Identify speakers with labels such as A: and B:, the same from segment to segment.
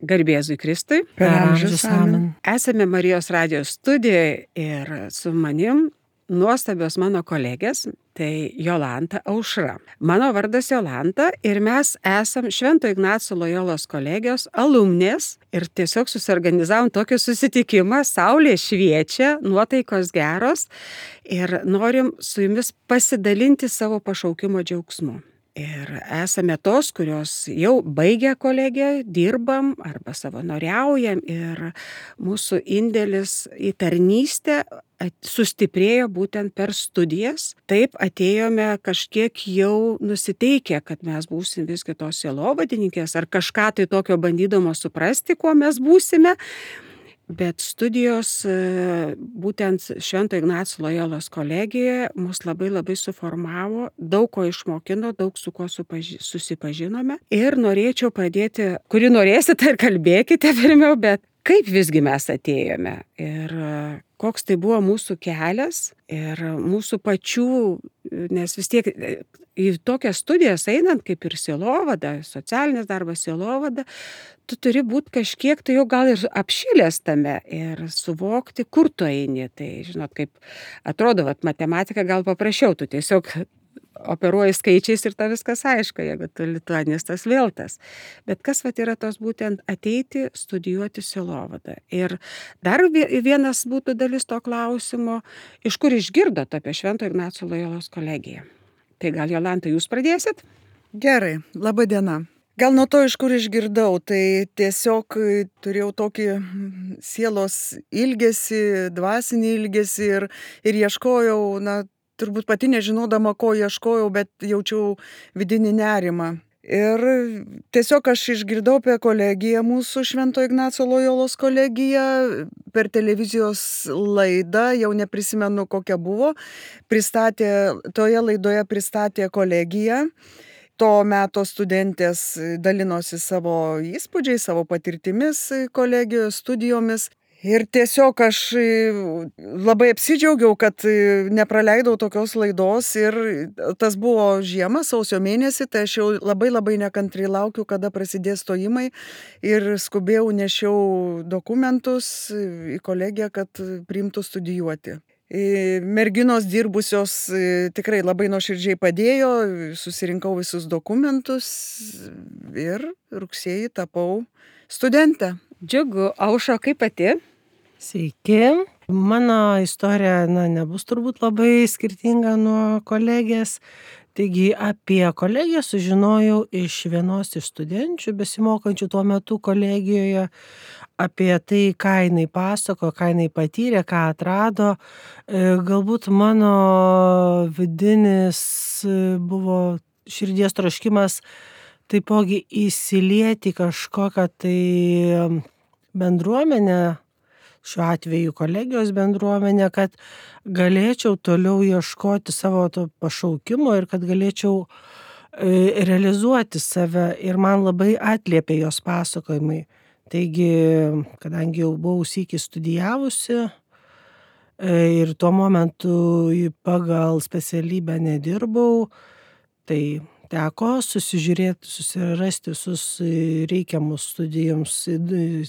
A: Garbėzui Kristui.
B: Per amžius amen.
A: Esame Marijos radijos studijoje ir su manim nuostabios mano kolegės, tai Jolanta Aušra. Mano vardas Jolanta ir mes esam Švento Ignaco Lojolos kolegijos alumnės ir tiesiog susiorganizavom tokį susitikimą, saulė šviečia, nuotaikos geros ir norim su jumis pasidalinti savo pašaukimo džiaugsmu. Ir esame tos, kurios jau baigė kolegiją, dirbam arba savanoriaujam ir mūsų indėlis į tarnystę sustiprėjo būtent per studijas. Taip atėjome kažkiek jau nusiteikę, kad mes būsim visgi tos sielovadininkės ar kažką tai tokio bandydamos suprasti, kuo mes būsime. Bet studijos būtent Švento Ignaco Lojolos kolegijoje mus labai suformavo, daug ko išmokino, daug su kuo susipažinome. Ir norėčiau pradėti, kuri norėsite ir kalbėkite pirmiau, bet kaip visgi mes atėjome ir koks tai buvo mūsų kelias ir mūsų pačių, nes vis tiek į tokias studijas einant, kaip ir sielovada, socialinis darbas sielovada, tu turi būti kažkiek tai jau gal ir apšilęs tame ir suvokti, kur tu eini. Tai, žinot, kaip atrodo, matematika gal paprasčiau, tu tiesiog operuoji skaičiais ir ta viskas aišku, jeigu tu lituanistas vėl tas. Bet kas yra tos būtent ateiti, studijuoti sielovadą. Ir dar vienas būtų dalis to klausimo, iš kur išgirdot apie Švento Ignaco Lojolos kolegiją. Tai gal Jolanta, jūs pradėsit?
B: Gerai, laba diena. Gal nuo to, iš kur išgirdau, tai tiesiog turėjau tokį sielos ilgesį, dvasinį ilgesį ir ieškojau, turbūt pati nežinodama, ko ieškojau, bet jaučiau vidinį nerimą. Ir tiesiog aš išgirdau apie kolegiją mūsų Švento Ignaco Lojolos kolegiją per televizijos laidą, jau neprisimenu kokia buvo, toje laidoje pristatė kolegiją. To meto studentės dalinosi savo įspūdžiais, savo patirtimis kolegijos studijomis. Ir tiesiog aš labai apsidžiaugiau, kad nepraleidau tokios laidos ir tas buvo žiema, sausio mėnesį, tai aš jau labai nekantriai laukiu, kada prasidės stojimai ir skubėjau, nešiau dokumentus į kolegiją, kad priimtų studijuoti. Merginos dirbusios tikrai labai nuoširdžiai padėjo, susirinkau visus dokumentus ir rugsėjį tapau studentę.
A: Džiugu, Aušra, kaip pati?
C: Sveiki. Mano istorija nebus turbūt labai skirtinga nuo kolegės. Taigi apie kolegiją sužinojau iš vienos iš studenčių, besimokančių tuo metu kolegijoje, apie tai, ką jinai pasako, ką jinai patyrė, ką atrado. Galbūt mano vidinis buvo širdies troškimas taipogi įsilieti kažkokią tai bendruomenę, šiuo atveju kolegijos bendruomenę, kad galėčiau toliau ieškoti savo to pašaukimo ir kad galėčiau realizuoti save. Ir man labai atliepė jos pasakojimai. Taigi, kadangi jau buvau sykį studijavusi ir tuo momentu pagal specialybę nedirbau, tai teko susirasti visus reikiamus studijoms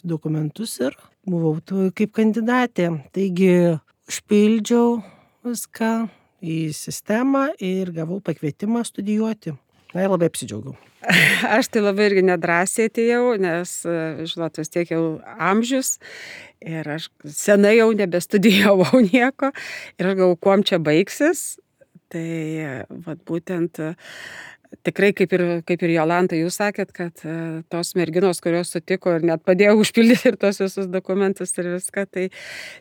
C: dokumentus ir buvau kaip kandidatė. Taigi užpildžiau viską į sistemą ir gavau pakvietimą studijuoti. Ir labai apsidžiaugiau.
A: Aš tai labai irgi nedrąsiai atėjau, nes, žinot, vis tiek jau amžius ir aš senai jau nebestudijavau nieko ir aš galvoju, kuom čia baigsis. Tai būtent tikrai, kaip ir Jolanta, jūs sakėt, kad tos merginos, kurios sutiko ir net padėjo užpildyti ir tos visus dokumentus ir viską, tai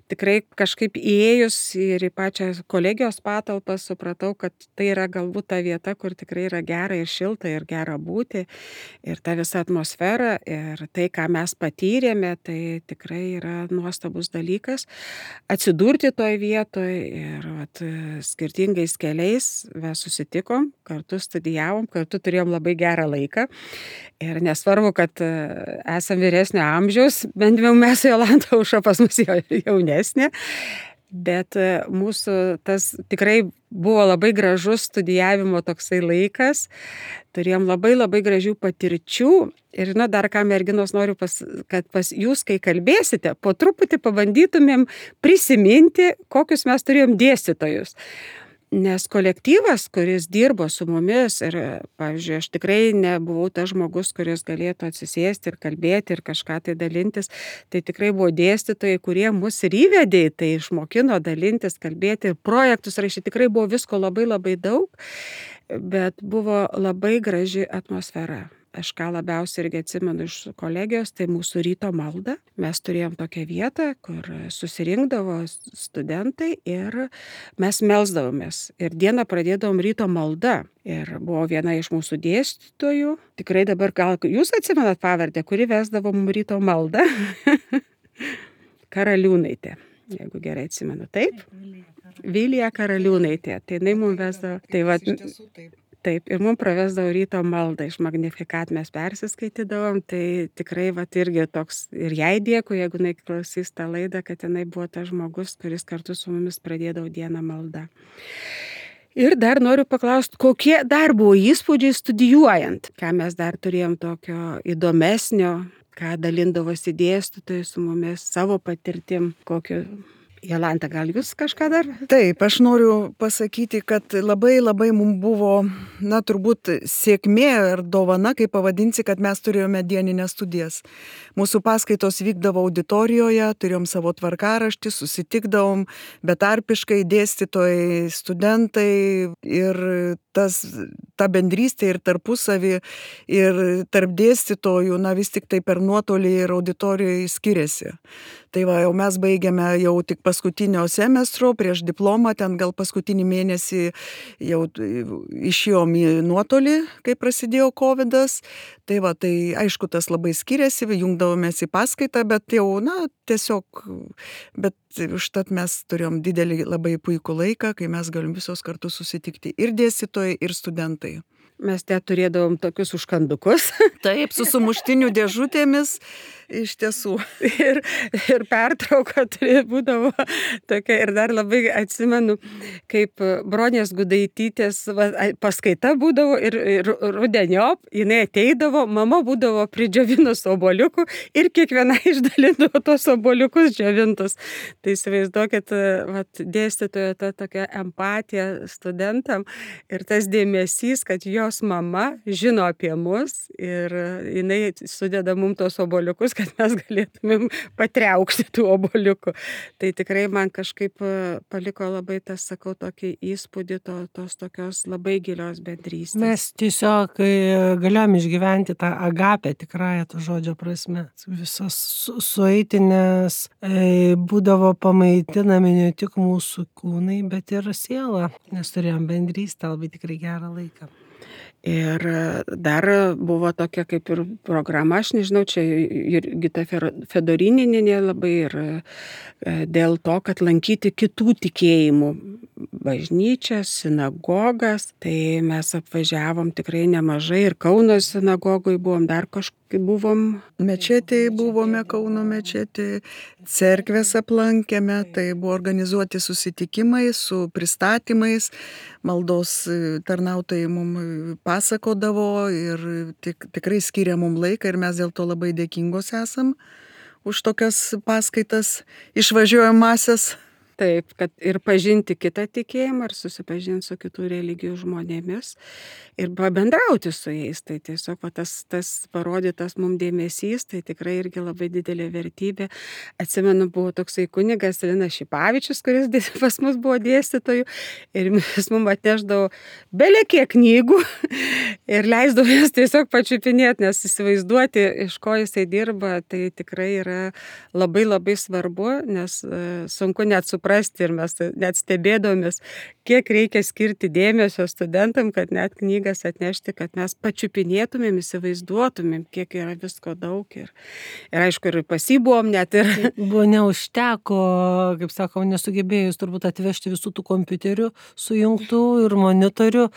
A: tikrai kažkaip įėjus ir į pačią kolegijos patalpą supratau, kad tai yra galbūt ta vieta, kur tikrai yra gera ir šilta ir gera būti ir ta visa atmosfera ir tai, ką mes patyrėme, tai tikrai yra nuostabus dalykas. Atsidurti toj vietoj ir skirtingais keliais mes susitikom, kartu studijavom, kartu turėjom labai gerą laiką ir nesvarbu, kad esam vyresnio amžiaus, bent jau mes Jolanta Aušra pas mus jaunesnė, Bet mūsų tas tikrai buvo labai gražus studijavimo toksai laikas. Turėjom labai labai gražių patirčių. Ir dar ką merginos noriu, kad pas jūs, kai kalbėsite, po truputį pabandytumėm prisiminti, kokius mes turėjom dėstytojus. Nes kolektyvas, kuris dirbo su mumis ir, pavyzdžiui, aš tikrai nebuvau tas žmogus, kuris galėtų atsisėsti ir kalbėti ir kažką tai dalintis, tai tikrai buvo dėstytojai, kurie mus ir įvedė, tai išmokino dalintis, kalbėti, projektus rašyti, tikrai buvo visko labai labai daug, bet buvo labai graži atmosfera. Aš ką labiausiai irgi atsimenu iš kolegijos, tai mūsų ryto malda. Mes turėjom tokią vietą, kur susirinkdavo studentai ir mes melsdavomės. Ir dieną pradėdavom ryto malda. Ir buvo viena iš mūsų dėstytojų, tikrai dabar gal jūs atsimenat pavardę, kuri vesdavo mums ryto maldą. Karaliūnaitė, jeigu gerai atsimenu. Taip? Vilija Karaliūnaitė. Tai jinai mums vesdavo. Tai va, taip, ir mums pravesdavo ryto maldą, iš Magnificat mes persiskaitydavom, tai tikrai irgi toks, ir jai dėkui, jeigu jinai klausys tą laidą, kad jinai buvo tas žmogus, kuris kartu su mumis pradėdavo dieną maldą. Ir dar noriu paklausti, kokie dar buvo įspūdžiai studijuojant, ką mes dar turėjom tokio įdomesnio, ką dalindavosi dėstytojai su mumis, savo patirtim, kokio... Jolanta, gal jūs kažką dar?
B: Taip, aš noriu pasakyti, kad labai mums buvo, turbūt sėkmė ar dovana, kaip pavadinsi, kad mes turėjome dieninės studijas. Mūsų paskaitos vykdavo auditorijoje, turėjom savo tvarkaraštį, susitikdavom betarpiškai dėstytojai, studentai ir ta bendrystė ir tarpusavį ir tarp dėstytojų, vis tik tai per nuotolį ir auditorijoje skiriasi. Tai va, jau mes baigėme jau tik paskutinio semestro, prieš diplomą, ten gal paskutinį mėnesį jau išėjom į nuotolį, kai prasidėjo COVID-as. Tai va, tai aišku, tas labai skiriasi, jungdavomės į paskaitą, bet jau, tiesiog, bet užtat mes turėjom didelį labai puikų laiką, kai mes galim visos kartu susitikti ir dėstytojai, ir studentai.
A: Mes turėdavom tokius užkandukus.
B: Taip, su sumuštinių dėžutėmis, iš tiesų.
A: Ir pertrauka būdavo tokia. Ir dar labai atsimenu, kaip Bronės Gudaitytės paskaita būdavo ir rudeniop, jinai ateidavo, mama būdavo pridžiovinus obuoliukų ir kiekviena išdalindavo tos obuoliukus džiovintus. Tai įsivaizduokit, dėstytojo ta tokia empatija studentam ir tas dėmesys, kad jos mama žino apie mus ir jinai sudeda mums tos obuoliukus, kad mes galėtumėm patriaukti tų obuoliukų. Tai tikrai man kažkaip paliko labai tas, sakau, tokį įspūdį tos tokios labai gilios bendrystės.
C: Mes tiesiog galėjom išgyventi tą agapę tikrąją to žodžio prasme. Visos sueitinės būdavo pamaitinami ne tik mūsų kūnai, bet ir siela, nes turėjom bendrystę, labai tikrai gerą laiką.
A: Ir dar buvo tokia kaip ir programa, aš nežinau, čia Jurgita Fedorinienė labai ir dėl to, kad lankyti kitų tikėjimų bažnyčias, sinagogas, tai mes apvažiavom tikrai nemažai ir Kauno sinagogoj buvom, dar kažkaip buvom.
B: Mečetėje buvome, Kauno mečetėje, cerkvės aplankėme, tai buvo organizuoti susitikimai su pristatymais, maldos tarnautojai mums pasakodavo ir tikrai skiria mums laiką ir mes dėl to labai dėkingos esam už tokias paskaitas išvažiuojamasias.
A: Taip, kad ir pažinti kitą tikėjimą, ir susipažinti su kitų religijų žmonėmis ir pabendrauti su jais. Tai tiesiog tas parodytas mums dėmesys, tai tikrai irgi labai didelė vertybė. Atsimenu, buvo toksai kunigas Linas Šipavičius, kuris pas mus buvo dėstytojų ir jis mums atneždavo belekiek knygų ir leisdavo jas tiesiog pačiupinėti, nes įsivaizduoti, iš ko jisai dirba, tai tikrai yra labai labai svarbu, nes sunku net suprasti ir mes net stebėdomės, kiek reikia skirti dėmesio studentam, kad net knygas atnešti, kad mes pačiupinėtumėm, įsivaizduotumėm, kiek yra visko daug ir aišku, ir pasibuvom net ir.
C: Buvo neužteko, kaip sakau, nesugebėjus turbūt atvežti visų tų kompiuterių sujungtų ir monitorių,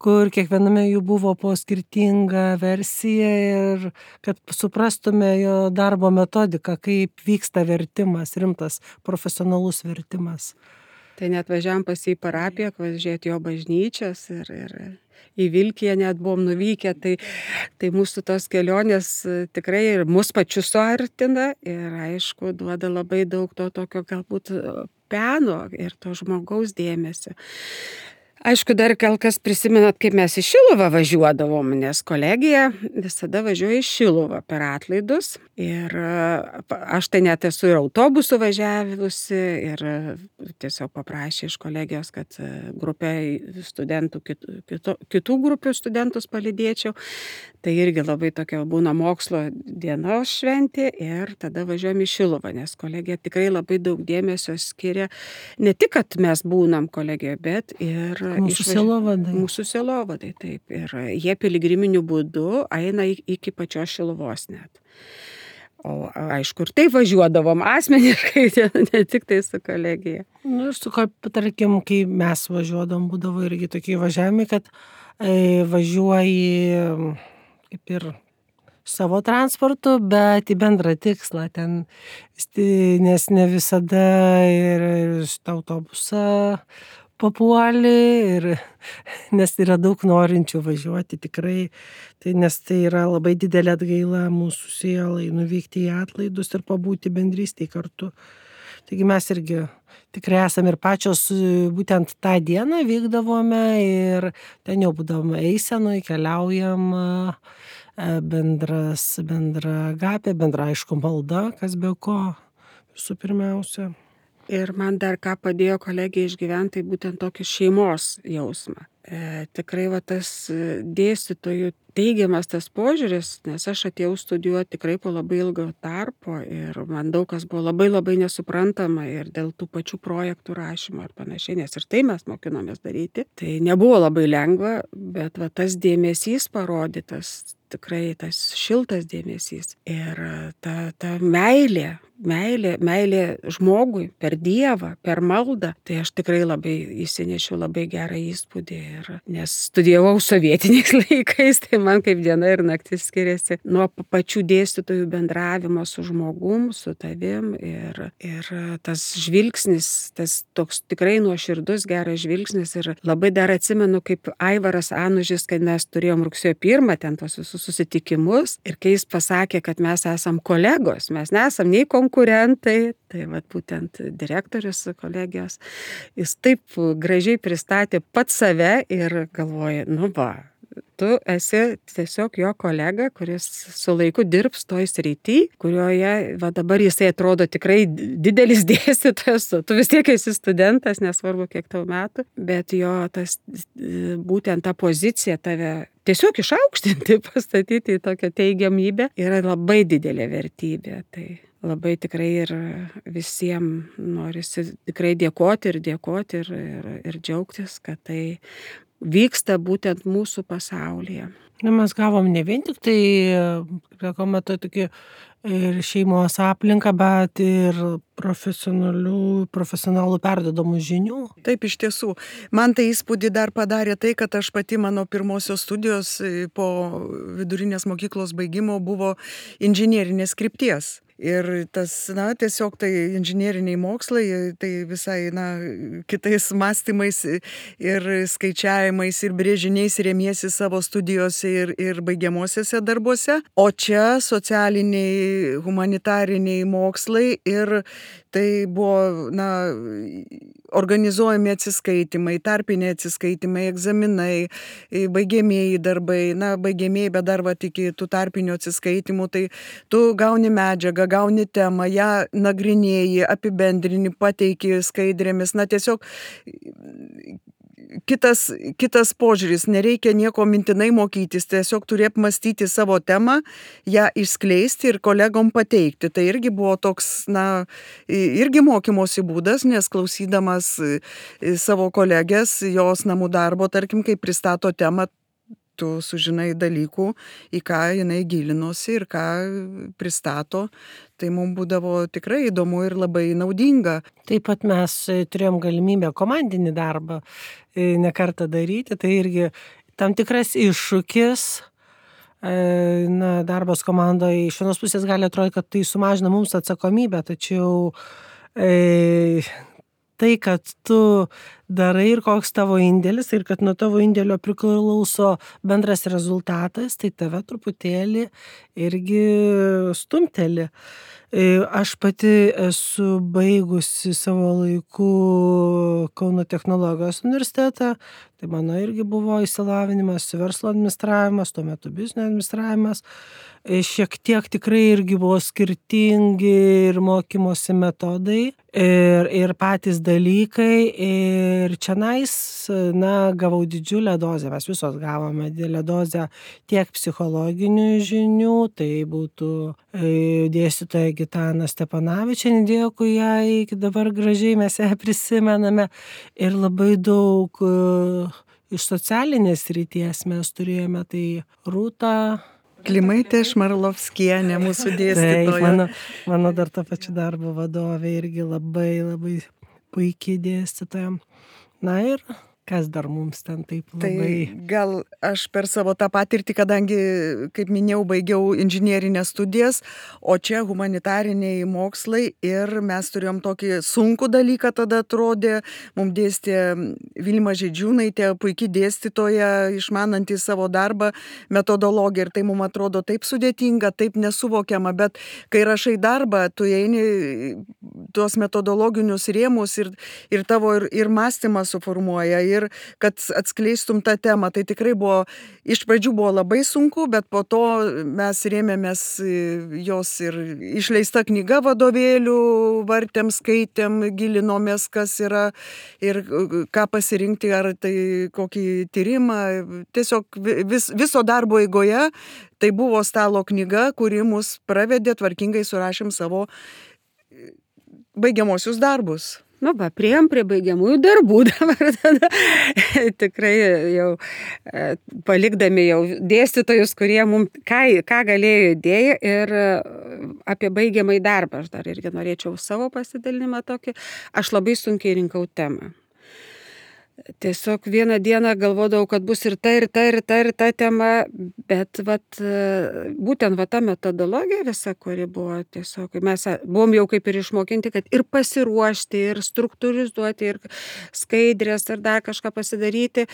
C: kur kiekviename jų buvo po skirtingą versiją ir kad suprastume jo darbo metodiką, kaip vyksta vertimas, rimtas profesionalus vertimas. vertimas.
A: Tai net važiavam pas jį į parapiją, važiuoti jo bažnyčias ir į Vilkiją net buvom nuvykę, tai mūsų tos kelionės tikrai ir mus pačius suartina ir aišku duoda labai daug to tokio galbūt peno ir to žmogaus dėmesio. Aišku, dar gal kas prisimenat, kaip mes į Šiluvą važiuodavom, nes kolegija visada važiuoja į Šiluvą per atlaidus. Ir aš tai net esu ir autobusu važiavusi ir tiesiog paprašė iš kolegijos, kad grupę studentų, kitų grupių studentus palydėčiau. Tai irgi labai tokia būna mokslo dienos šventė ir tada važiuojam į Šiluvą, nes kolegija tikrai labai daug dėmesio skiria. Ne tik, kad mes būnam kolegijoje, bet ir
C: Mūsų sielovadai.
A: Mūsų sielovadai, taip. Ir jie piligriminiu būdu eina iki pačios Šiluvos net. O aišku, ir taip važiuodavom asmeniškai, ne tik tai su kolegija.
C: Ir tarkim, kai mes važiuodavom, būdavo irgi tokie važiavimai, kad važiuoji kaip ir savo transportu, bet į bendrą tikslą ten, nes ne visada ir šitą autobusą papuoli, nes yra daug norinčių važiuoti tikrai, nes tai yra labai didelė atgaila mūsų sielai nuvykti į atlaidus ir pabūti bendrystėj kartu. Taigi mes irgi tikrai esame ir pačios būtent tą dieną vykdavome ir ten jau būdavome eisenoj, keliaujam, bendra agapė, bendra aišku malda, kas be ko visų pirmiausia.
A: Ir man dar ką padėjo kolegija išgyventi, tai būtent tokį šeimos jausmą. Tikrai va tas dėstytojų teigiamas tas požiūris, nes aš atėjau studijuoti tikrai po labai ilgo tarpo ir man daug kas buvo labai labai nesuprantama ir dėl tų pačių projektų rašymo ir panašiai, nes ir tai mes mokinomės daryti. Tai nebuvo labai lengva, bet va tas dėmesys parodytas, tikrai tas šiltas dėmesys ir ta meilė žmogui per Dievą, per maldą, tai aš tikrai labai įsinešiau labai gerą įspūdį. Nes studijavau sovietiniais laikais, tai man kaip diena ir naktis skiriasi nuo pačių dėstytojų bendravimo su žmogum, su tavim ir tas žvilgsnis, tas toks tikrai nuoširdus geras žvilgsnis ir labai dar atsimenu, kaip Aivaras Anužis, kad mes turėjom rugsėjo 1 ten tos visus susitikimus ir kai jis pasakė, kad mes esam kolegos, mes nesam nei konkurentai, tai vat būtent direktorius kolegijos, jis taip gražiai pristatė pats save ir galvoja, nu va, tu esi tiesiog jo kolega, kuris su laiku dirbs toj srity, kurioje va dabar jisai atrodo tikrai didelis dėstytojas, tu vis tiek esi studentas, nesvarbu kiek tau metų, bet jo tas būtent ta pozicija tave tiesiog išaukštinti, pastatyti į tokią teigiamybę yra labai didelė vertybė. Tai labai tikrai ir visiems norisi tikrai dėkoti ir džiaugtis, kad tai vyksta būtent mūsų pasaulyje.
C: Mes gavom ne vien tik tai, kaip sakoma, tokį ir šeimos aplinką, bet ir profesionalų perduodamų žinių.
B: Taip, iš tiesų. Man tai įspūdį dar padarė tai, kad aš pati mano pirmosios studijos po vidurinės mokyklos baigimo buvo inžinierinės krypties. Ir tas, tiesiog tai inžinieriniai mokslai, tai visai, kitais mąstymais ir skaičiavimais ir brėžiniais remiesi savo studijose ir baigiamosiuose darbuose. O čia socialiniai, humanitariniai mokslai ir tai buvo, organizuojami atsiskaitimai, tarpiniai atsiskaitimai, egzaminai, baigiamieji darbai, baigiamieji, bet dar iki tų tarpinių atsiskaitimų, tai tu gauni medžiagą, gauni temą, ją nagrinėji, apibendrini, pateiki skaidrėmis, tiesiog kitas požiūris, nereikia nieko mintinai mokytis, tiesiog turi apmastyti savo temą, ją išskleisti ir kolegom pateikti. Tai irgi buvo toks, irgi mokymosi būdas, nes klausydamas savo kolegės, jos namų darbo, tarkim, kai pristato temą, tu sužinai dalykų, į ką jinai gilinosi ir ką pristato. Tai mums būdavo tikrai įdomu ir labai naudinga.
C: Taip pat mes turėjom galimybę komandinį darbą ne kartą daryti, tai irgi tam tikras iššūkis. Darbas komandoje iš vienos pusės gali atrodyti, kad tai sumažina mums atsakomybę, tačiau tai, kad tu darai ir koks tavo indėlis ir kad nuo tavo indėlio priklauso bendras rezultatas, tai tave truputėlį irgi stumteli. Aš pati esu baigusi savo laiku Kauno technologijos universitetą, tai mano irgi buvo išsilavinimas verslo administravimas, tuo metu biznio administravimas. Šiek tiek tikrai irgi buvo skirtingi ir mokymosi metodai ir patys dalykai. Ir čionais, gavau didžiulę dozę, mes visos gavome didelę dozę tiek psichologinių žinių, tai būtų dėstytoja Gitana Stepanavičienė, dėkui jai, iki dabar gražiai mes ją prisimename, ir labai daug iš socialinės srities mes turėjome, tai Rūta
B: Klimaitė Šmarlovskienė, mūsų dėstytoja.
C: Taip, mano dar to pačiu darbo vadovė, irgi labai puikiai dėstytoja. Na ir kas dar mums ten taip labai...
B: Tai gal aš per savo tą patirtį, kadangi, kaip minėjau, baigiau inžinierinės studijas, o čia humanitariniai mokslai, ir mes turėjom tokį sunkų dalyką, tada atrodė, mums dėstė Vilma Žydžiūnaitė, puikiai dėstytoja, išmananti savo darbą, metodologiją, ir tai mums atrodo taip sudėtinga, taip nesuvokiama, bet kai rašai darbą, tu eini tuos metodologinius rėmus ir tavo ir mąstymą suformuoja, ir kad atskleistum tą temą. Tai tikrai buvo, iš pradžių buvo labai sunku, bet po to mes rėmėmės jos ir išleista knyga vadovėlių, vartėm, skaitėm, gilinomės, kas yra ir ką pasirinkti, ar tai kokį tyrimą. Tiesiog viso darbo eigoje tai buvo stalo knyga, kuri mus pravedė, tvarkingai surašėm savo baigiamosius darbus.
A: Priėjom prie baigiamųjų darbų dabar tada. Tikrai jau palikdami jau dėstytojus, kurie mums ką galėjo idėją, ir apie baigiamąjį darbą. Aš dar irgi norėčiau savo pasidalinimą tokį. Aš labai sunkiai rinkau temą. Tiesiog vieną dieną galvodavau, kad bus ir ta tema, bet būtent ta metodologija visa, kuri buvo tiesiog, mes buvom jau kaip ir išmokinti, kad ir pasiruošti, ir struktūrizuoti, ir skaidrės, ir dar kažką pasidaryti,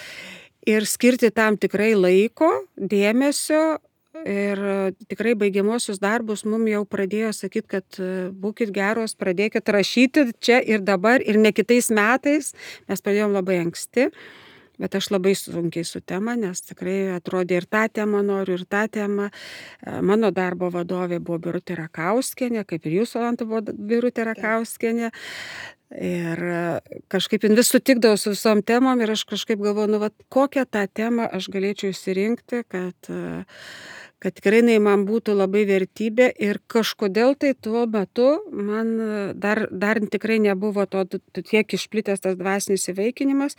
A: ir skirti tam tikrai laiko, dėmesio. Ir tikrai baigiamosius darbus mums jau pradėjo sakyti, kad būkit geros, pradėkit rašyti čia ir dabar, ir ne kitais metais. Mes pradėjom labai anksti, bet aš labai sunkiai su tema, nes tikrai atrodė ir tą temą noriu, ir tą temą. Mano darbo vadovė buvo Birutė Rakauskienė, kaip ir jūsų, Jolanta, buvo Birutė Rakauskienė. Ir kažkaip vis sutikdavau su visom temom, ir aš kažkaip galvoju, kokią tą temą aš galėčiau įsirinkti, kad tikrai man būtų labai vertybė. Ir kažkodėl tai tuo metu man dar tikrai nebuvo tiek išplitęs tas dvasinis įvaikinimas,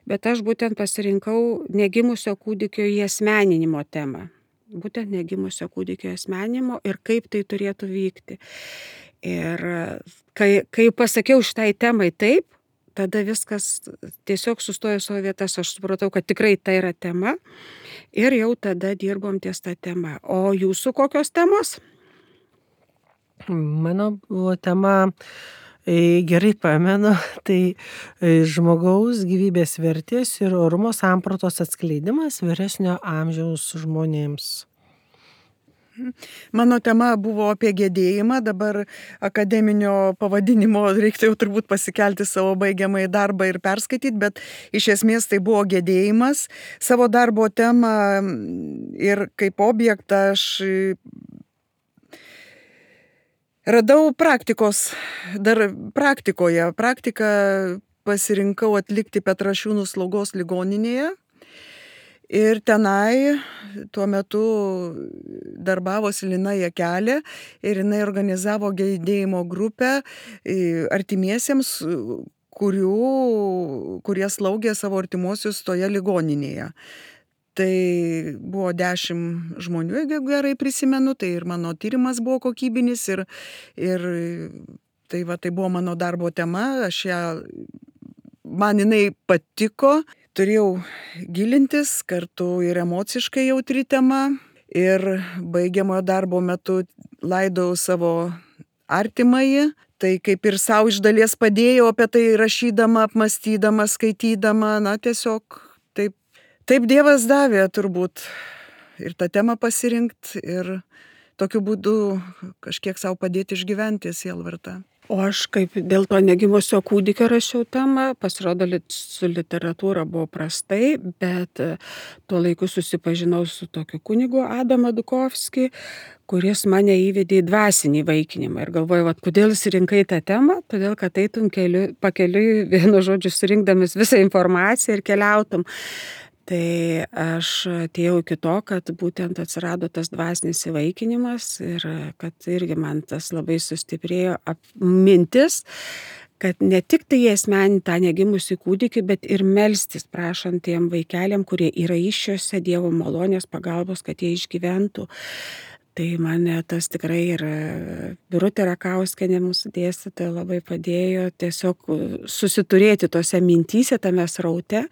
A: bet aš būtent pasirinkau negimusio kūdikio įasmeninimo temą. Būtent negimusio kūdikio įasmeninimo ir kaip tai turėtų vykti. Ir kai pasakiau šitai temai taip, tada viskas tiesiog sustojo savo vietas. Aš supratau, kad tikrai tai yra tema, ir jau tada dirbom ties tą temą. O jūsų kokios temos?
C: Mano buvo tema, gerai pamenu, tai žmogaus gyvybės vertės ir orumo sampratos atskleidimas vyresnio amžiaus žmonėms.
B: Mano tema buvo apie gedėjimą, dabar akademinio pavadinimo reiktų jau turbūt pasikelti savo baigiamąjį darbą ir perskaityti, bet iš esmės tai buvo gedėjimas. Savo darbo temą ir kaip objektą aš radau praktikoje. Praktiką pasirinkau atlikti Petrašiūnų slaugos ligoninėje. Ir tenai tuo metu darbavosi Lina Jakelė, ir jinai organizavo gedėjimo grupę artimiesiems, kurie slaugė savo artimuosius toje ligoninėje. Tai buvo 10 žmonių, jeigu gerai prisimenu, tai ir mano tyrimas buvo kokybinis, ir tai buvo mano darbo tema, man jinai patiko. Turėjau gilintis, kartu ir emociškai jautri tema, ir baigiamojo darbo metu laidojau savo artimąjį. tai kaip ir savo iš dalies padėjau apie tai rašydama, apmąstydama, skaitydama, na tiesiog taip Dievas davė turbūt ir tą temą pasirinkti ir tokiu būdu kažkiek savo padėti išgyventi sielvartą.
A: O aš kaip dėl to negimusio kūdikio rašiau temą, pasirodo su literatūra buvo prastai, bet tuo laiku susipažinau su tokiu kunigu Adamu Dukovskį, kuris mane įvedė į dvasinį įvaikinimą. Ir galvoju, kodėl surinkai tą temą, todėl kad eitum pakeliui, vienu žodžiu, surinkdamas visą informaciją ir keliautum. Tai aš atėjau iki to, kad būtent atsirado tas dvasinis įvaikinimas ir kad irgi man tas labai sustiprėjo mintis, kad ne tik tai asmeninį tą negimusį kūdikį, bet ir melstis prašant tiem vaikeliam, kurie yra įsčiose Dievo malonės pagalbos, kad jie išgyventų. Tai mane tas tikrai ir Birutė Rakauskienė, mūsų dėstytoja, labai padėjo tiesiog susiturėti tose mintyse, tame sraute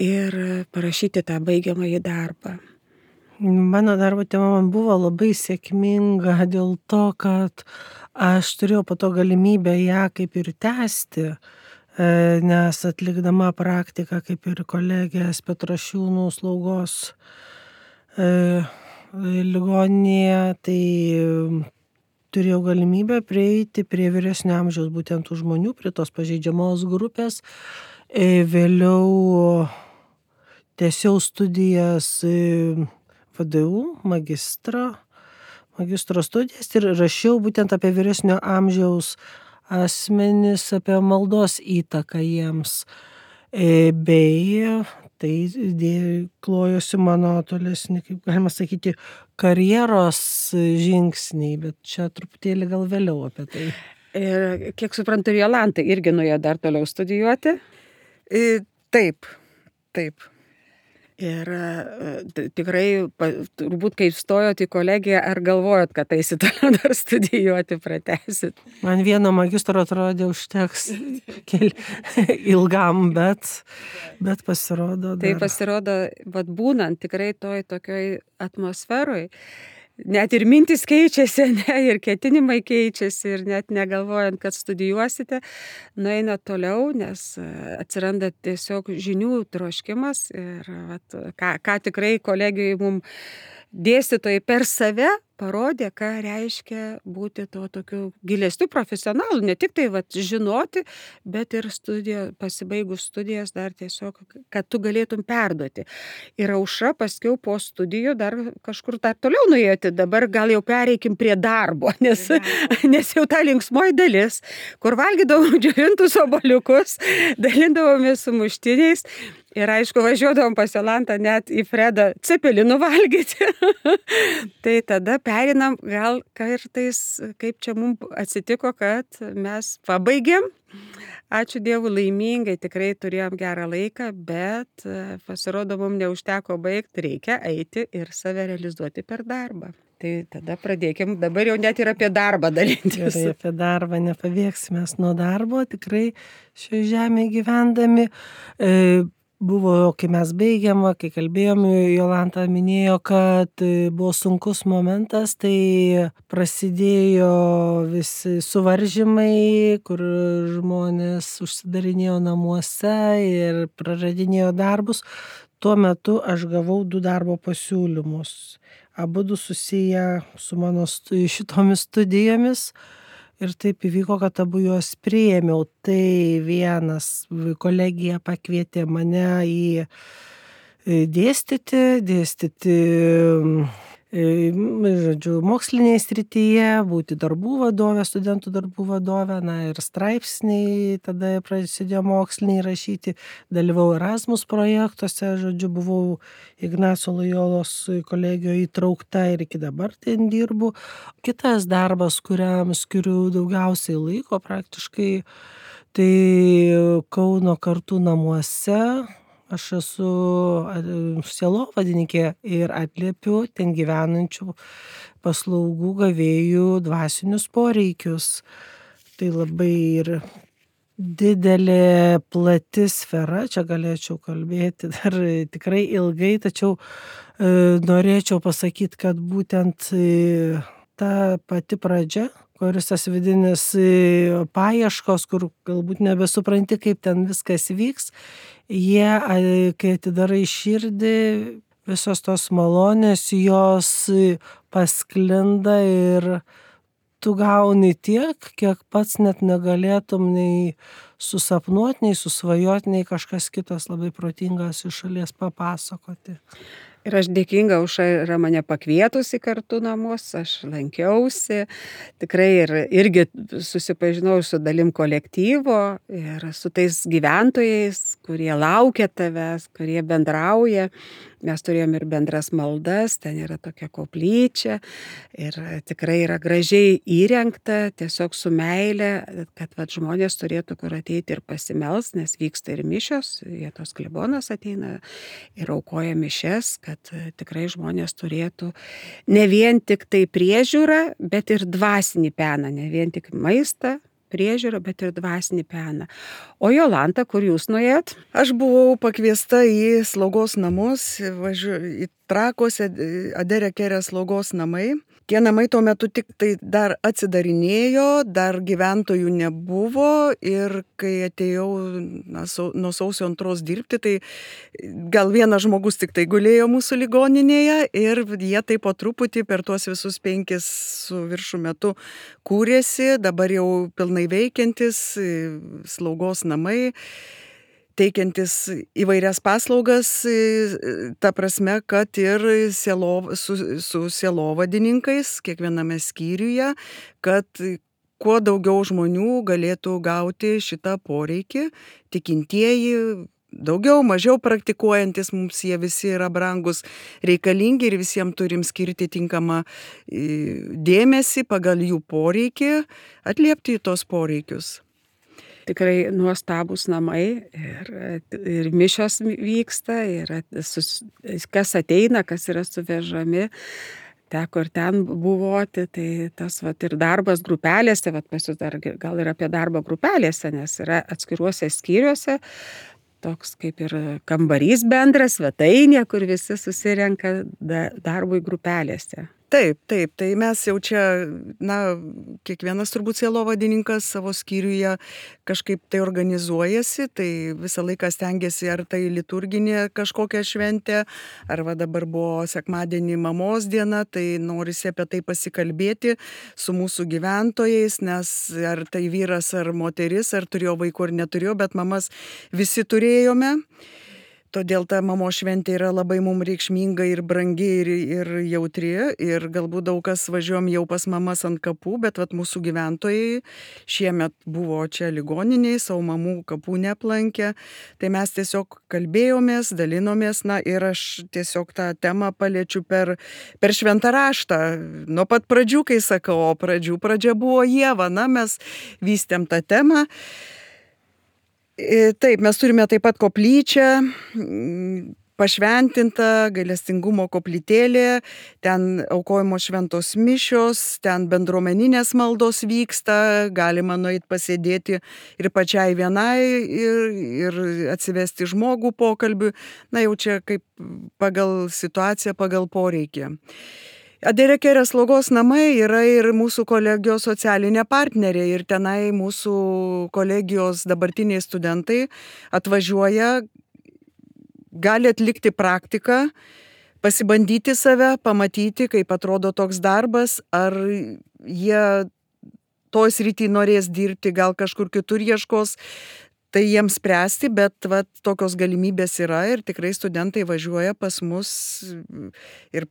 A: ir parašyti tą baigiamąjį darbą.
C: Mano darbo tema man buvo labai sėkminga dėl to, kad aš turėjau po to galimybę ją kaip ir tęsti, nes atlikdama praktiką kaip ir kolegės Petrašiūnų slaugos ligoninėje, tai turėjau galimybę prieiti prie vyresnio amžiaus būtent tų žmonių, prie tos pažeidžiamos grupės. Vėliau tęsiau studijas VDU, magistro studijas ir rašiau būtent apie vyresnio amžiaus asmenis, apie maldos įtaką jiems. Bei tai klojosi mano tolesni, kaip galima sakyti, karjeros žingsniai, bet čia truputėlį gal vėliau apie tai.
A: Ir kiek suprantu, Jolanta irgi nuėjo dar toliau studijuoti?
B: Taip.
A: Ir tikrai, turbūt kai stojot į kolegiją, ar galvojot, kad eisit toliau dar studijuoti, pratęsit?
C: Man vieno magistro atrodė užteks ilgam, bet pasirodo.
A: Tai pasirodo, būnant tikrai toj tokioj atmosferoj, net ir mintis keičiasi, ir ketinimai keičiasi, ir net negalvojant, kad studijuosite, nueina toliau, nes atsiranda tiesiog žinių troškimas ir ką tikrai kolegijai mums dėstytojai per save parodė, ką reiškia būti to tokiu gilesniu profesionalu, ne tik tai žinoti, bet ir pasibaigus studijas dar tiesiog, kad tu galėtum perduoti. Ir Aušra paskiau po studijų dar kažkur dar toliau nuėjote, dabar gal jau pereikim prie darbo, nes jau ta linksmoji dalis, kur valgydavom džiovintus obuoliukus, dalindavomės su muštiniais. Ir aišku, važiuodavom pas Jolantą net į Fredą cepelinų valgyti. Tai tada perinam gal kartais, kaip čia mums atsitiko, kad mes pabaigėm. Ačiū Dievui, laimingai, tikrai turėjom gerą laiką, bet pasirodo, mums neužteko baigti, reikia eiti ir save realizuoti per darbą. Tai tada pradėkim, dabar jau net ir apie darbą dalintis.
C: Gerai, apie darbą nepabėgsime nuo darbo, tikrai šioje žemėje gyvendami. Buvo, kai mes baigėm, kai kalbėjom, Jolanta minėjo, kad buvo sunkus momentas, tai prasidėjo visi suvaržymai, kur žmonės užsidarinėjo namuose ir praradinėjo darbus. Tuo metu aš gavau 2 darbo pasiūlymus, abudu susiję su mano šitomis studijomis. Ir taip įvyko, kad abu juos priėmiau. Tai vienas, kolegija pakvietė mane į dėstyti, žodžiu, mokslinėje srityje, būti darbų vadovė, studentų darbų vadovė, ir straipsniai, tada prasidėjo moksliniai rašyti, dalyvau Erasmus projektuose, žodžiu, buvau Ignaco Lojolos kolegijoje įtraukta ir iki dabar ten dirbu. Kitas darbas, kuriam skiriu daugiausiai laiko praktiškai, tai Kauno Kartų namuose. Aš esu sielovadininkė ir atliepiu ten gyvenančių paslaugų gavėjų dvasinius poreikius. Tai labai ir didelė, plati sfera, čia galėčiau kalbėti dar tikrai ilgai, tačiau norėčiau pasakyti, kad būtent ta pati pradžia, kuris tas vidinis paieškos, kur galbūt nebesupranti, kaip ten viskas vyks, jie, kai atidarai širdį, visos tos malonės, jos pasklinda ir tu gauni tiek, kiek pats net negalėtum nei susapnuot, nei susvajot, nei kažkas kitas labai protingas iš šalies papasakoti.
A: Ir aš dėkinga Aušra yra mane pakvietusi kartu namus, aš lankiausi, tikrai irgi susipažinau su dalim kolektyvo ir su tais gyventojais, kurie laukia tavęs, kurie bendrauja. Mes turėjom ir bendras maldas, ten yra tokia koplyčia ir tikrai yra gražiai įrengta, tiesiog su meile, kad žmonės turėtų kur ateiti ir pasimelst, nes vyksta ir mišios, vietos klebonas ateina ir aukoja mišes, kad tikrai žmonės turėtų ne vien tik tai priežiūrą, bet ir dvasinį peną, ne vien tik maistą, priežiūrą, bet ir dvasinį peną. O Jolanta, kur jūs nuėjot?
B: Aš buvau pakviesta į slaugos namus, į Trakuose Adere Kere slaugos namai. Tie namai tuo metu tik tai dar atsidarinėjo, dar gyventojų nebuvo ir kai atėjau nuo sausio 2 dirbti, tai gal vienas žmogus tik tai gulėjo mūsų ligoninėje ir jie taip po truputį per tuos visus 5 su viršų metu kūrėsi, dabar jau pilnai veikiantis slaugos namai, teikiantis įvairias paslaugas, ta prasme, kad ir su sielovadininkais kiekviename skyriuje, kad kuo daugiau žmonių galėtų gauti šitą poreikį, tikintieji, daugiau, mažiau praktikuojantis, mums jie visi yra brangus, reikalingi ir visiems turim skirti tinkamą dėmesį pagal jų poreikį, atliepti į tos poreikius.
A: Tikrai nuostabus namai ir mišios vyksta, kas ateina, kas yra suvežami, teko ir ten buvoti, tai tas ir darbas grupelėse, pas jūs dar gal ir apie darbą grupelėse, nes yra atskiruose skyriuose, toks kaip ir kambarys bendras, svetainė, kur visi susirenka darbui grupelėse.
B: Taip, tai mes jau čia, kiekvienas turbūt sielovadininkas savo skyriuje kažkaip tai organizuojasi, tai visą laiką stengiasi, ar tai liturginė kažkokia šventė, ar dabar buvo sekmadienį mamos diena, tai norisi apie tai pasikalbėti su mūsų gyventojais, nes ar tai vyras ar moteris, ar turėjo vaikų ar neturėjo, bet mamas visi turėjome. Todėl ta mamos šventė yra labai mums reikšminga ir brangi ir jautri. Ir galbūt daug kas važiuojam jau pas mamas ant kapų, bet mūsų gyventojai šiemet buvo čia ligoniniai, savo mamų kapų neaplankė. Tai mes tiesiog kalbėjomės, dalinomės, ir aš tiesiog tą temą paliečiu per šventą raštą. Nuo pat pradžių, kai sakau, pradžia buvo Ieva, mes vystėm tą temą. Taip, mes turime taip pat koplyčią, pašventinta gailestingumo koplytėlė, ten aukojimo šventos mišios, ten bendruomeninės maldos vyksta, galima nueiti pasėdėti ir pačiai vienai ir atsivesti žmogų pokalbiui, jau čia kaip pagal situaciją, pagal poreikį. Adere Kere slaugos namai yra ir mūsų kolegijos socialinė partnerė ir tenai mūsų kolegijos dabartiniai studentai atvažiuoja, gali atlikti praktiką, pasibandyti save, pamatyti, kaip atrodo toks darbas, ar jie toj srity norės dirbti, gal kažkur kitur ieškos, tai jiems spręsti, bet tokios galimybės yra ir tikrai studentai važiuoja pas mus ir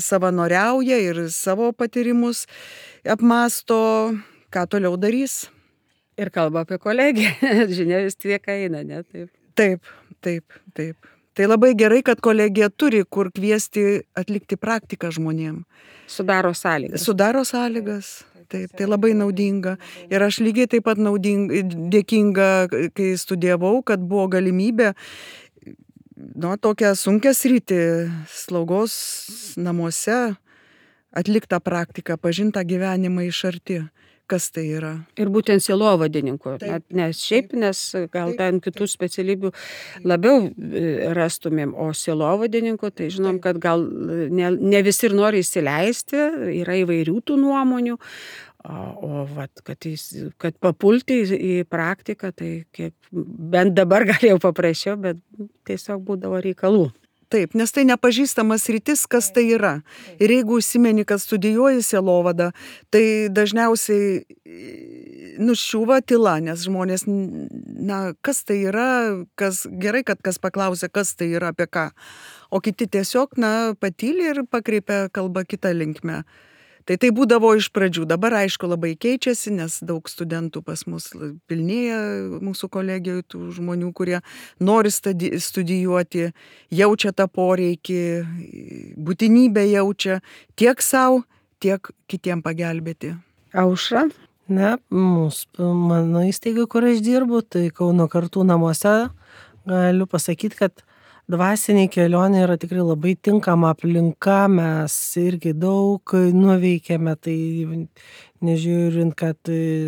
B: savanoriauja, ir savo patyrimus apmąsto, ką toliau darys.
A: Ir kalba apie kolegiją, žinia vis tiek eina, ne?
B: Taip. Tai labai gerai, kad kolegija turi kur kviesti atlikti praktiką žmonėm.
A: Sudaro sąlygas.
B: Taip, tai labai naudinga. Ir aš lygiai taip pat dėkinga, kai studijavau, kad buvo galimybė tokią sunkią sritį slaugos namuose atliktą praktiką, pažintą gyvenimą iš arti. Kas tai yra?
A: Ir būtent sielovadininkų, nes gal ten kitų specialybių labiau rastumėm, o sielovadininkų, tai žinom, kad gal ne visi ir nori įsileisti, yra įvairių tų nuomonių, O vat, kad papulti į praktiką, tai bent dabar galėjau paprašiau, bet tiesiog būdavo reikalų.
B: Taip, nes tai nepažįstamas rytis, kas tai yra. Ir jeigu užsimeni, kad studijuoji sielovadą, tai dažniausiai nuščiūva tyla, nes žmonės, kas tai yra, gerai, kad kas paklausia, kas tai yra, apie ką. O kiti tiesiog, patyli ir pakreipia kalbą kitą linkmę. Tai būdavo iš pradžių. Dabar, aišku, labai keičiasi, nes daug studentų pas mus pilnėja mūsų kolegijoje, tų žmonių, kurie nori studijuoti, jaučia tą poreikį, būtinybę jaučia tiek savo, tiek kitiem pagelbėti.
A: Aušra?
C: Mano įstaiga, kur aš dirbu, tai Kauno Kartų namuose, galiu pasakyti, kad dvasiniai kelionė yra tikrai labai tinkama aplinka, mes irgi daug nuveikėme, tai nežiūrint, kad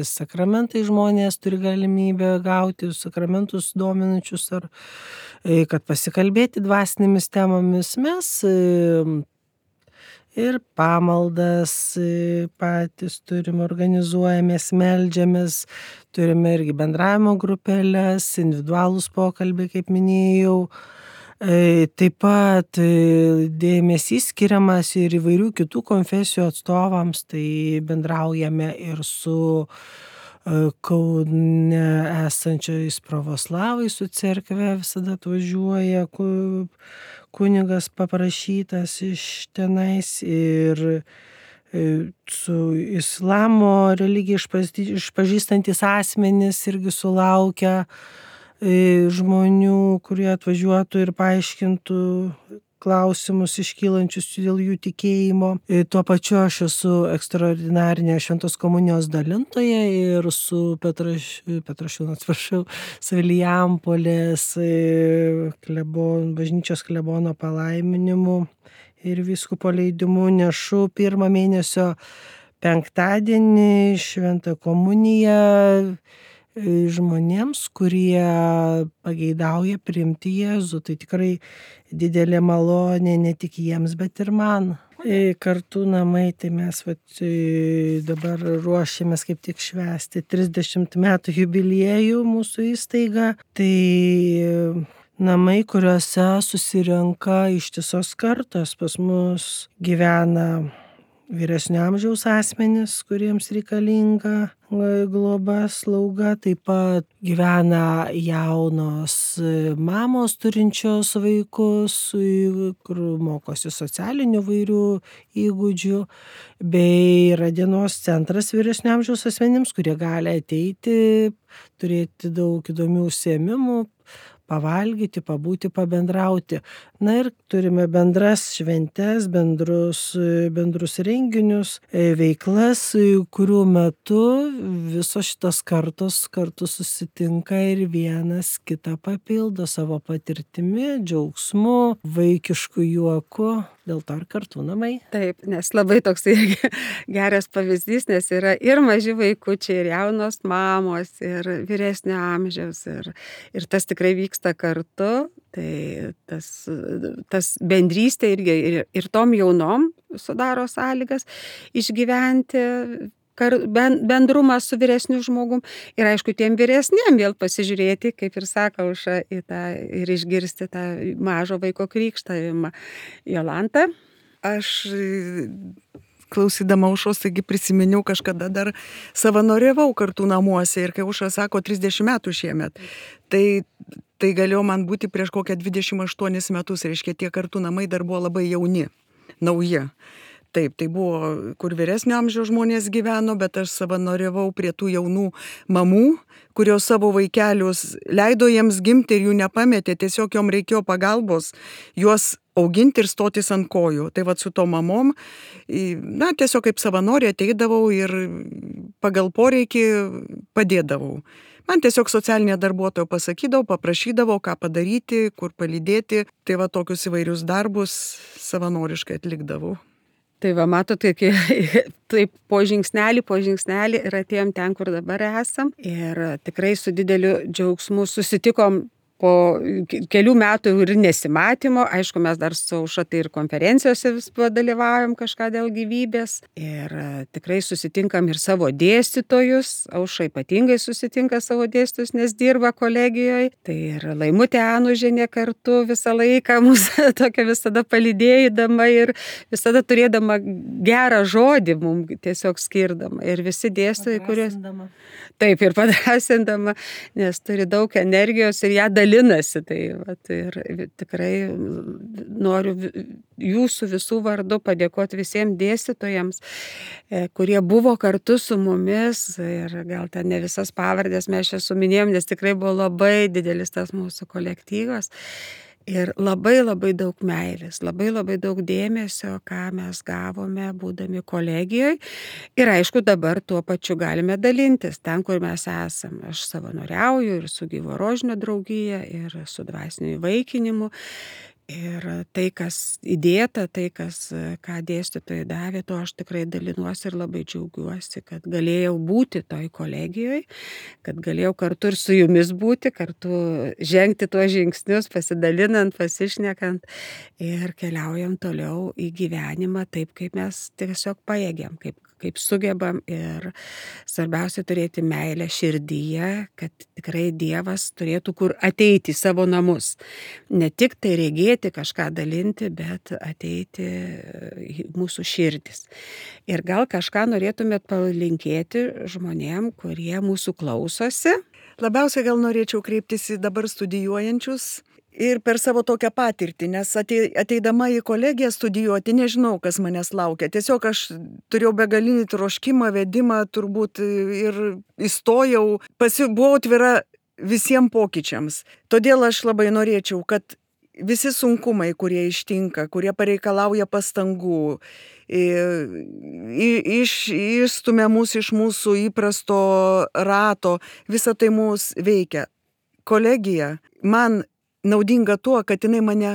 C: sakramentai žmonės turi galimybę gauti, sakramentus dominančius, ar kad pasikalbėti dvasinėmis temomis, mes ir pamaldas patys turime, organizuojamės, meldžiamės, turime irgi bendravimo grupelės, individualūs pokalbiai, kaip minėjau. Taip pat dėmesys skiriamas ir įvairių kitų konfesijų atstovams, tai bendraujame ir su Kaune esančiais pravoslavais, su cerkve visada atvažiuoja kunigas paprašytas iš tenais, ir su islamo religiją išpažįstantis asmenys irgi sulaukia žmonių, kurie atvažiuotų ir paaiškintų klausimus iškylančius dėl jų tikėjimo. Tuo pačiu aš esu ekstraordinarinė šventos komunijos dalintoja ir su Vilijampolės bažnyčios klebono palaiminimu ir vyskupo leidimu nešu 1 mėnesio penktadienį šventą komuniją žmonėms, kurie pageidauja priimti Jėzų. Tai tikrai didelė malonė ne tik jiems, bet ir man. Kartų namai, tai mes dabar ruošiamės kaip tik švęsti 30 metų jubiliejų mūsų įstaiga. Tai namai, kuriuose susirenka ištisos kartos. Pas mus gyvena vyresnio amžiaus asmenys, kuriems reikalinga globa, slauga. Taip pat gyvena jaunos mamos turinčios vaikus, kur mokosi socialinių vairių įgūdžių, bei yra dienos centras vyresnio amžiaus asmenims, kurie gali ateiti, turėti daug įdomių užsiėmimų, pavalgyti, pabūti, pabendrauti. Ir turime bendras šventes, bendrus renginius, veiklas, kurių metu visos šitos kartos kartu susitinka ir vienas kitą papildo savo patirtimi, džiaugsmu, vaikišku juoku. Dėl to ir kartų namai.
A: Taip, nes labai toks geras pavyzdys, nes yra ir maži vaikučiai, ir jaunos mamos, ir vyresnio amžiaus, ir tas tikrai vyksta kartu. Tai tas bendrystė irgi ir tom jaunom sudaro sąlygas išgyventi bendrumą su vyresniu žmogum. Ir aišku, tiem vyresniem vėl pasižiūrėti, kaip ir sako Aušra, ir išgirsti tą mažo vaiko krikštavimą. Jolanta?
B: Aš klausydama Aušros, taigi prisiminiau, kažkada dar savanoriavau Kartų namuose, ir kai Aušra sako 30 metų šiemet, tai galėjo man būti prieš kokią 28 metus, reiškia, tie Kartų namai dar buvo labai jauni, nauji. Taip, tai buvo, kur vyresnio amžiaus žmonės gyveno, bet aš savanoriavau prie tų jaunų mamų, kurios savo vaikelius leido jiems gimti ir jų nepametė, tiesiog jom reikėjo pagalbos juos auginti ir stotis ant kojų. Tai su to mamom, tiesiog kaip savanorė ateidavau ir pagal poreikį padėdavau. Man tiesiog socialinė darbuotoja pasakydavo, paprašydavo, ką padaryti, kur palydėti. Tai tokius įvairius darbus savanoriškai atlikdavau.
A: Tai matote, taip po žingsnelį ir atėjom ten, kur dabar esam. Ir tikrai su dideliu džiaugsmu susitikom kelių metų ir nesimatymo, aišku, mes dar su Aušra tai ir konferencijose vis dalyvaujam kažką dėl gyvybės ir tikrai susitinkam ir savo dėstytojus. Aušra ypatingai susitinka savo dėstytojus, nes dirba kolegijoje. Tai ir Laimutė Anužienė kartu visą laiką mūsų tokia visada palydėdama ir visada turėdama gerą žodį mums tiesiog skirdama. Ir visi dėstytojai, kuriuos... Taip, ir padrasindama, nes turi daug energijos ir ją dalinasi. Tai, ir tikrai noriu jūsų visų vardu padėkoti visiems dėstytojams, kurie buvo kartu su mumis ir gal ten ne visas pavardės mes čia suminėjom, nes tikrai buvo labai didelis tas mūsų kolektyvas. Ir labai daug meilės, labai daug dėmesio, ką mes gavome būdami kolegijoje. Ir aišku, dabar tuo pačiu galime dalintis ten, kur mes esame. Aš savanoriauju ir su Gyvo Rožinio draugija, ir su dvasiniu įvaikinimu. Ir tai, kas įdėta, tai, ką dėstytojai davė, to aš tikrai dalinuosi ir labai džiaugiuosi, kad galėjau būti toj kolegijoje, kad galėjau kartu ir su jumis būti, kartu žengti tuos žingsnius, pasidalinant, pasišnekant ir keliaujam toliau į gyvenimą taip, kaip mes tiesiog pajėgiam, kaip sugebam ir svarbiausia turėti meilę širdyje, kad tikrai Dievas turėtų kur ateiti į savo namus. Ne tik tai regėti, kažką dalinti, bet ateiti į mūsų širdis. Ir gal kažką norėtumėt palinkėti žmonėm, kurie mūsų klausosi?
B: Labiausiai gal norėčiau kreiptis į dabar studijuojančius. Ir per savo tokią patirtį, nes ateidama į kolegiją studijuoti, nežinau, kas manęs laukia. Tiesiog aš turėjau begalinį troškimą, vedimą turbūt ir įstojau, buvau atvira visiems pokyčiams. Todėl aš labai norėčiau, kad visi sunkumai, kurie ištinka, kurie pareikalauja pastangų, išstumia mus iš mūsų įprasto rato, visa tai mus veikia. Kolegija man naudinga tuo, kad jinai mane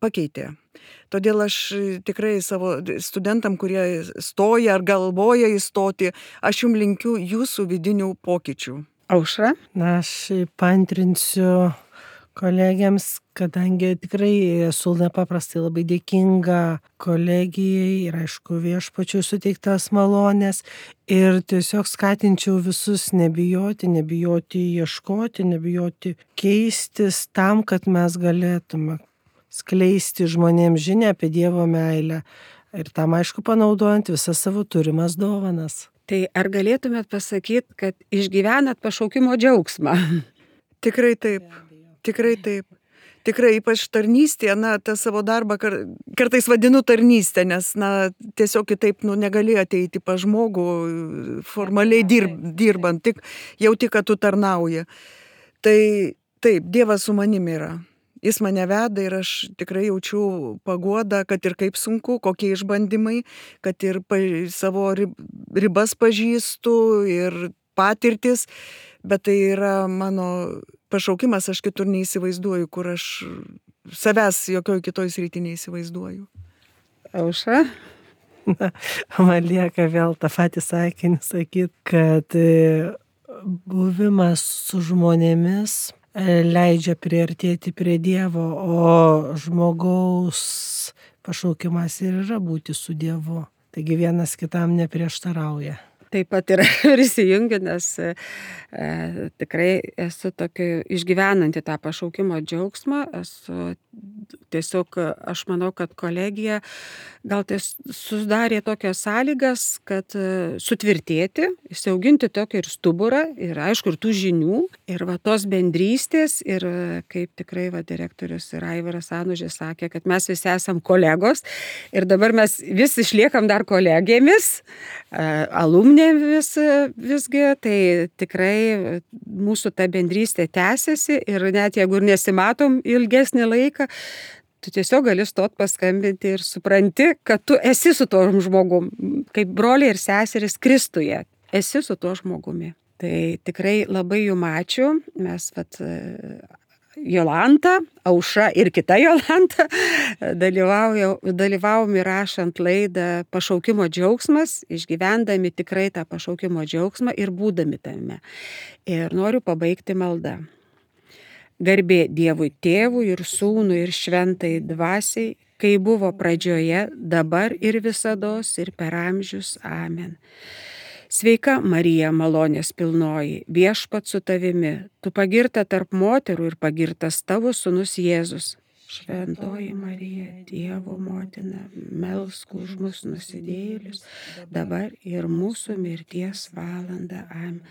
B: pakeitė. Todėl aš tikrai savo studentam, kurie stoja ar galvoja įstoti, aš jums linkiu jūsų vidinių pokyčių.
A: Aušra?
C: Na, aš paantrinsiu kolegiams, kadangi tikrai esu nepaprastai labai dėkinga kolegijai ir aišku viešpačiui suteiktas malonės ir tiesiog skatinčiau visus nebijoti ieškoti, nebijoti keistis tam, kad mes galėtume skleisti žmonėms žinią apie Dievo meilę ir tam aišku panaudojant visas savo turimas dovanas.
A: Tai ar galėtumėt pasakyti, kad išgyvenat pašaukimo džiaugsmą?
B: Tikrai taip. Tikrai taip. Tikrai ypač tarnystė, tą savo darbą kartais vadinu tarnystę, nes tiesiog kitaip negali ateiti pas žmogų formaliai dirbant, tik jauti, kad tu tarnauji. Tai taip, Dievas su manimi yra. Jis mane veda ir aš tikrai jaučiu paguodą, kad ir kaip sunku, kokie išbandymai, kad ir savo ribas pažįstu ir patirtis, bet tai yra mano pašaukimas, aš kitur neįsivaizduoju, kur aš savęs jokioj kitoj srity neįsivaizduoju.
A: Aušra?
C: Man lieka vėl tą patį sakinį sakyti, kad buvimas su žmonėmis leidžia priartėti prie Dievo, o žmogaus pašaukimas ir yra būti su Dievu. Taigi vienas kitam neprieštarauja.
A: Taip pat ir prisijungiu, nes tikrai esu išgyvenanti tą pašaukimo džiaugsmą. Tiesiog aš manau, kad kolegija gal sudarė tokias sąlygas, kad sutvirtėti, įsiauginti tokį ir stuburą, ir aišku, ir tų žinių, ir tos bendrystės, ir kaip tikrai direktorius ir Aivaras Anužis sakė, kad mes visi esam kolegos, ir dabar mes vis išliekam dar kolegėmis, alumnė visgi, tai tikrai mūsų ta bendrystė tęsiasi ir net jeigu ir nesimatom ilgesnį laiką, tu tiesiog gali stot paskambinti ir supranti, kad tu esi su tuo žmogum, kaip broliai ir seserys Kristuje, esi su tuo žmogumi. Tai tikrai labai jum ačiū, mes Jolanta, Aušra ir kita Jolanta dalyvavom įrašant laidą Pašaukimo džiaugsmas, išgyvendami tikrai tą pašaukimo džiaugsmą ir būdami tame. Ir noriu pabaigti maldą. Garbė Dievui Tėvui ir Sūnui ir Šventai Dvasiai, kai buvo pradžioje, dabar ir visados ir per amžius. Amen. Sveika Marija, malonės pilnoji, Viešpats su tavimi, tu pagirta tarp moterų ir pagirtas tavo sūnus Jėzus. Šventoji Marija, Dievo motina, melsk už mus nusidėjėlius, dabar ir mūsų mirties valandą. Amen.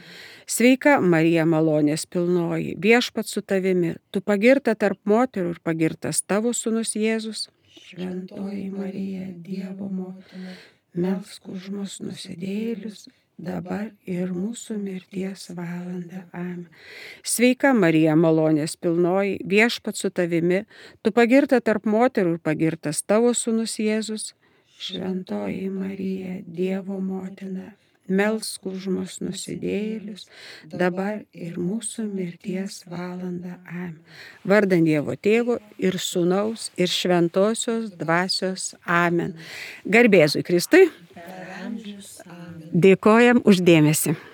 A: Sveika Marija, malonės pilnoji, Viešpats su tavimi, tu pagirta tarp moterų ir pagirtas tavo sūnus Jėzus. Šventoji Marija, Dievo motina, melsk už mus nusidėjėlius, dabar ir mūsų mirties valandą. Amen. Sveika Marija, malonės pilnoji, Viešpats su tavimi, tu pagirta tarp moterų ir pagirtas tavo sūnus Jėzus. Šventoji Marija, Dievo motina, melsk už mus nusidėjėlius, dabar ir mūsų mirties valandą. Amen. Vardan Dievo Tėvo ir Sūnaus ir Šventosios Dvasios. Amen. Garbė Jėzui Kristui. Dėkojam už dėmesį.